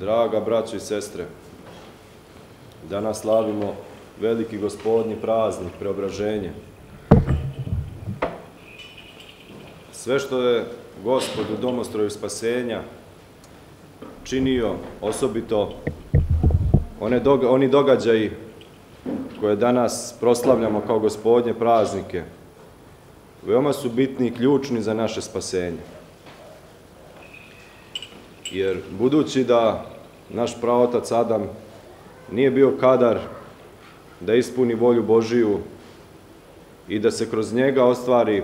Draga braćo i sestre, danas slavimo veliki gospodnji praznik, preobraženje. Sve što je Gospod u domostroju spasenja činio, osobito oni događaji koje danas proslavljamo kao gospodnje praznike, veoma su bitni i ključni za naše spasenje. Jer budući da naš praotac Adam nije bio kadar da ispuni volju Božiju i da se kroz njega ostvari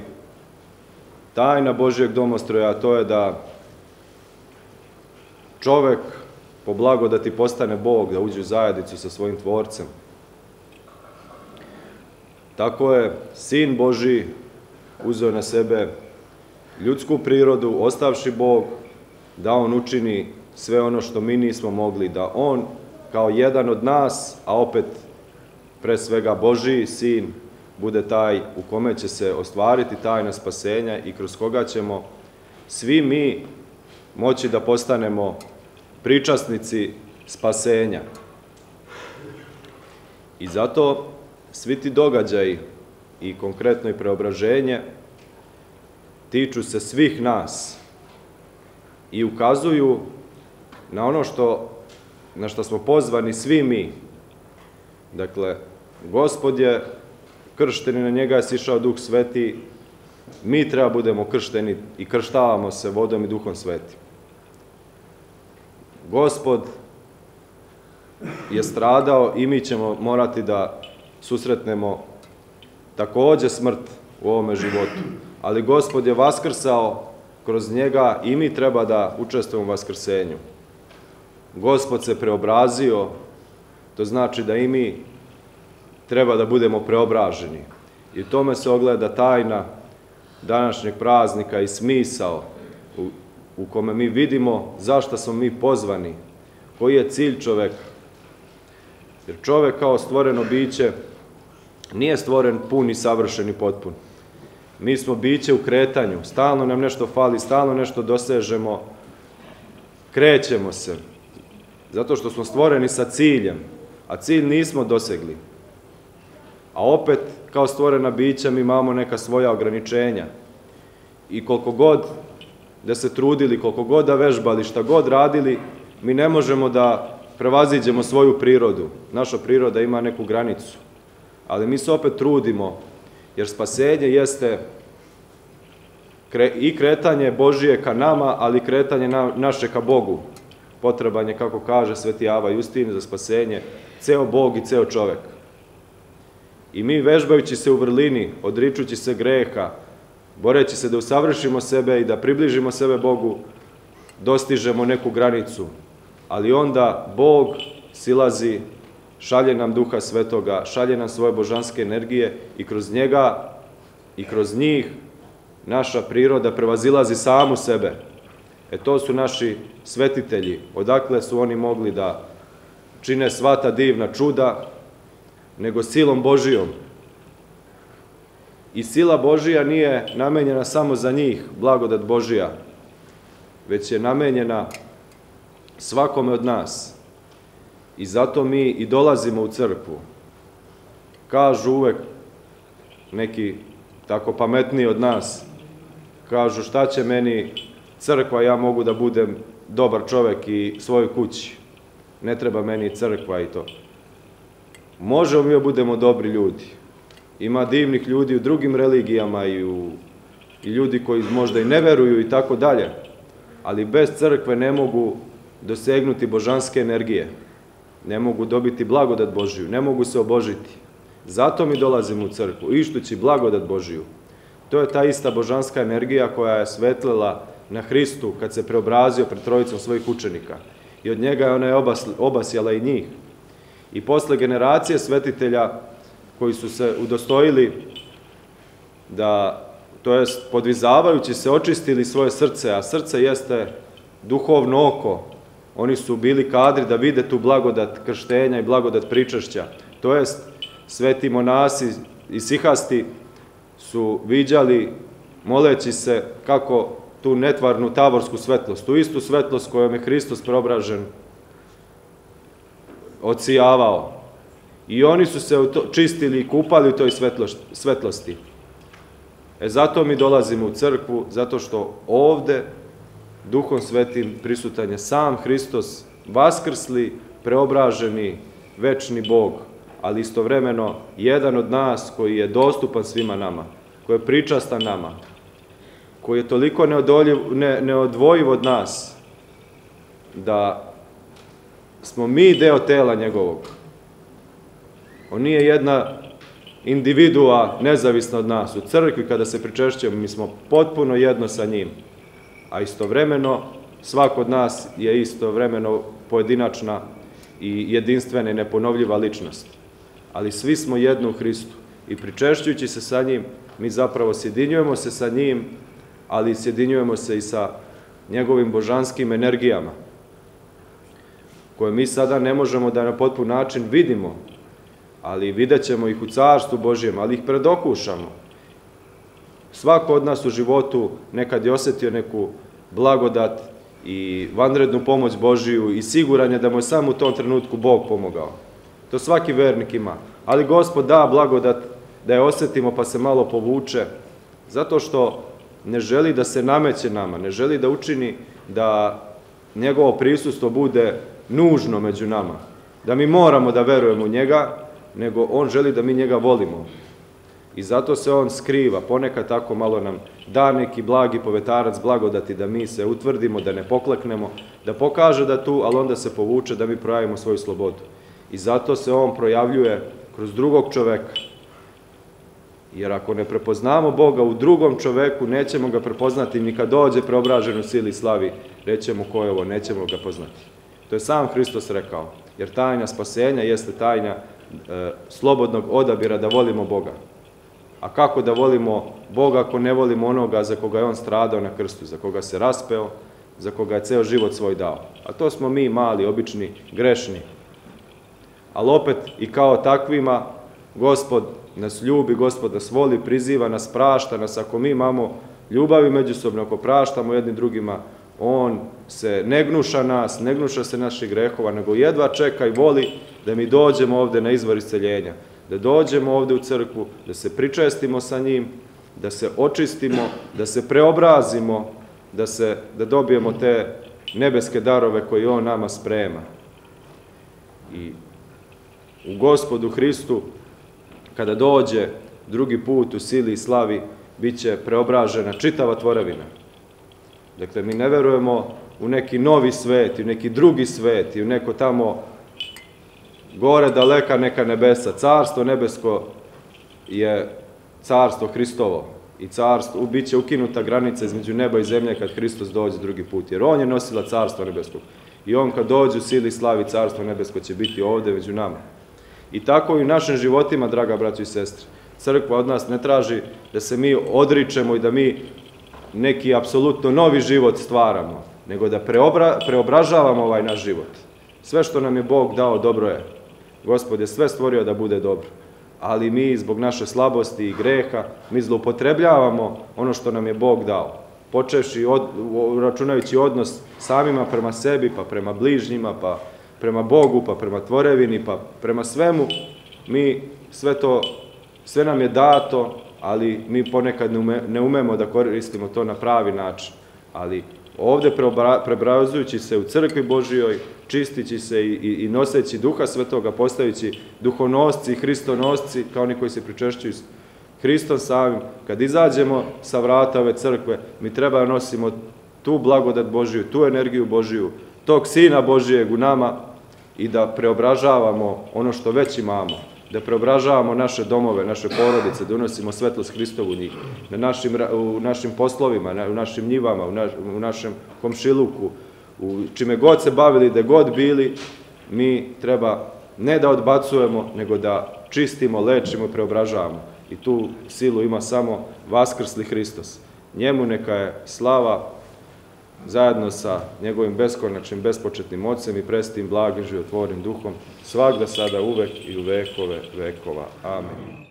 tajna Božjeg domostroja, a to je da čovek po blagodati postane Bog, da uđe u zajednicu sa svojim Tvorcem. Tako je Sin Božji uzeo na sebe ljudsku prirodu, ostavši Bog, da On učini sve ono što mi nismo mogli, da On kao jedan od nas, a opet pre svega Božji Sin, bude taj u kome će se ostvariti tajna spasenja i kroz koga ćemo svi mi moći da postanemo pričasnici spasenja. I zato svi ti događaji i konkretno i preobraženje tiču se svih nas i ukazuju na ono na što smo pozvani svi mi. Dakle, Gospod je kršten i na njega je sišao Duh Sveti, mi treba budemo kršteni i krštavamo se vodom i Duhom Svetim. Gospod je stradao i mi ćemo morati da susretnemo takođe smrt u ovome životu, ali Gospod je vaskrsao kroz njega i mi treba da učestvujemo u vaskrsenju. Gospod se preobrazio, to znači da i mi treba da budemo preobraženi. I u tome se ogleda tajna današnjeg praznika i smisao u kome mi vidimo zašto smo mi pozvani, koji je cilj čoveka. Jer čovek kao stvoreno biće nije stvoren pun i savršen i potpun. Mi smo biće u kretanju, stalno nam nešto fali, stalno nešto dosežemo, krećemo se, zato što smo stvoreni sa ciljem, a cilj nismo dosegli. A opet, kao stvorena bića, mi imamo neka svoja ograničenja. I koliko god da se trudili, koliko god da vežbali, šta god radili, mi ne možemo da prevaziđemo svoju prirodu. Naša priroda ima neku granicu. Ali mi se opet trudimo, jer spasenje jeste i kretanje Božije ka nama, ali i kretanje naše ka Bogu. Potreban je, kako kaže Sveti Ava Justin, za spasenje ceo Bog i ceo čovek. I mi vežbajući se u vrlini, odričući se greha, boreći se da usavršimo sebe i da približimo sebe Bogu, dostižemo neku granicu. Ali onda Bog silazi, šalje nam Duha Svetoga, šalje nam svoje božanske energije i kroz njega i kroz njih naša priroda prevazilazi samu sebe. To su naši svetitelji. Odakle su oni mogli da čine sva ta divna čuda, nego silom Božijom. I sila Božija nije namenjena samo za njih, blagodat Božija, već je namenjena svakome od nas. I zato mi i dolazimo u crkvu. Kažu uvek neki tako pametniji od nas, kažu šta će meni crkva, ja mogu da budem dobar čovek i svojoj kući. Ne treba meni crkva i to. Možemo mi da budemo dobri ljudi. Ima divnih ljudi u drugim religijama i ljudi koji možda i ne veruju i tako dalje, ali bez crkve ne mogu dosegnuti božanske energije, ne mogu dobiti blagodat Božiju, ne mogu se obožiti. Zato mi dolazimo u crkvu, ištući blagodat Božiju. To je ta ista božanska energija koja je svetlila na Hristu kad se preobrazio pred trojicom svojih učenika. I od njega je ona obasjala i njih. I posle generacije svetitelja koji su se udostojili da, to jest podvizavajući se, očistili svoje srce, a srce jeste duhovno oko. Oni su bili kadri da vide tu blagodat krštenja i blagodat pričašća. To jest, sveti monasi i sihasti su viđali, moleći se, kako tu netvarnu tavorsku svetlost, tu istu svetlost kojom je Hristos preobražen odsijavao. I oni su se čistili i kupali u toj svetlosti. Zato mi dolazimo u crkvu, zato što ovde Duhom Svetim prisutan je sam Hristos, vaskrsli, preobraženi, večni Bog, ali istovremeno jedan od nas koji je dostupan svima nama, koji je pričastan nama, koji je toliko neodvojiv od nas, da smo mi deo tela njegovog. On nije jedna individua nezavisna od nas. U crkvi kada se pričešćujemo, mi smo potpuno jedno sa njim, a istovremeno svako od nas je istovremeno pojedinačna i jedinstvena i neponovljiva ličnost. Ali svi smo jedno u Hristu i pričešćujući se sa njim, mi zapravo sjedinjujemo se sa njim, ali sjedinjujemo se i sa njegovim božanskim energijama, koje mi sada ne možemo da na potpun način vidimo, ali vidjet ćemo ih u Carstvu Božjem, ali ih predokušamo. Svako od nas u životu nekad je osjetio neku blagodat i vanrednu pomoć Božiju i siguran je da mu je samo u tom trenutku Bog pomogao. To svaki vernik ima. Ali Gospod da blagodat da je osjetimo pa se malo povuče, zato što ne želi da se nameće nama, ne želi da učini da njegovo prisustvo bude nužno među nama, da mi moramo da verujemo u njega, nego on želi da mi njega volimo. I zato se on skriva, ponekad tako malo nam da neki blagi povetarac blagodati da mi se utvrdimo, da ne pokleknemo, da pokaže da tu, ali onda se povuče da mi projavimo svoju slobodu. I zato se on projavljuje kroz drugog čoveka. Jer ako ne prepoznamo Boga u drugom čoveku, nećemo ga prepoznati ni kad dođe preobražen u sili i slavi, rećemo ko je ovo, nećemo ga poznati. To je sam Hristos rekao, jer tajna spasenja jeste tajna slobodnog odabira da volimo Boga. A kako da volimo Boga ako ne volimo onoga za koga je on stradao na krstu, za koga se raspeo, za koga je ceo život svoj dao? A to smo mi mali, obični, grešni. Ali opet i kao takvima Gospod nas ljubi, Gospod nas voli, priziva nas, prašta nas. Ako mi imamo ljubavi međusobno, ako praštamo jedni drugima, on se ne gnuša nas, ne gnuša se naših grehova, nego jedva čeka i voli da mi dođemo ovde na izvor isceljenja, da dođemo ovde u crkvu, da se pričestimo sa njim, da se očistimo, da se preobrazimo, da dobijemo te nebeske darove koje on nama sprema. I u Gospodu Hristu, kada dođe drugi put u sili i slavi, bit će preobražena čitava tvorevina. Dakle, mi ne verujemo u neki novi svet, u neki drugi svet, i u neko tamo gore daleka neka nebesa. Carstvo nebesko je carstvo Hristovo i bit će ukinuta granica između neba i zemlje kad Hristos dođe drugi put, jer on je nosila carstvo nebeskog. I on kad dođe u sili i slavi, carstvo nebesko će biti ovde među nama. I tako i u našim životima, draga braćo i sestre. Crkva od nas ne traži da se mi odričemo i da mi neki apsolutno novi život stvaramo, nego da preobražavamo ovaj naš život. Sve što nam je Bog dao dobro je. Gospod je sve stvorio da bude dobro. Ali mi zbog naše slabosti i greha, mi zloupotrebljavamo ono što nam je Bog dao. Počevši, računajući odnos samima prema sebi, pa prema bližnjima, pa prema Bogu, pa prema tvorevini, pa prema svemu, mi sve nam je dato, ali mi ponekad ne umemo da koristimo to na pravi način. Ali ovde preobrazujući se u crkvi Božijoj, čistići se i noseći Duha Svetoga, postajući duhonosci i hristonosci, kao oni koji se pričešćuju s Hristom samim, kad izađemo sa vrata ove crkve, mi treba da nosimo tu blagodat Božiju, tu energiju Božiju, tog Sina Božijeg u nama i da preobražavamo ono što već imamo, da preobražavamo naše domove, naše porodice, da unosimo svetlost Hristovu u njih, u našim poslovima, u našim njivama, u našem komšiluku, u čime god se bavili, gde god bili, mi treba ne da odbacujemo, nego da čistimo, lečimo i preobražavamo. I tu silu ima samo vaskrsli Hristos. Njemu neka je slava zajedno sa njegovim beskonačnim, bespočetnim Ocem i prestim, blagim, životvornim Duhom, svagda, sada, uvek i u vekove vekova. Amen.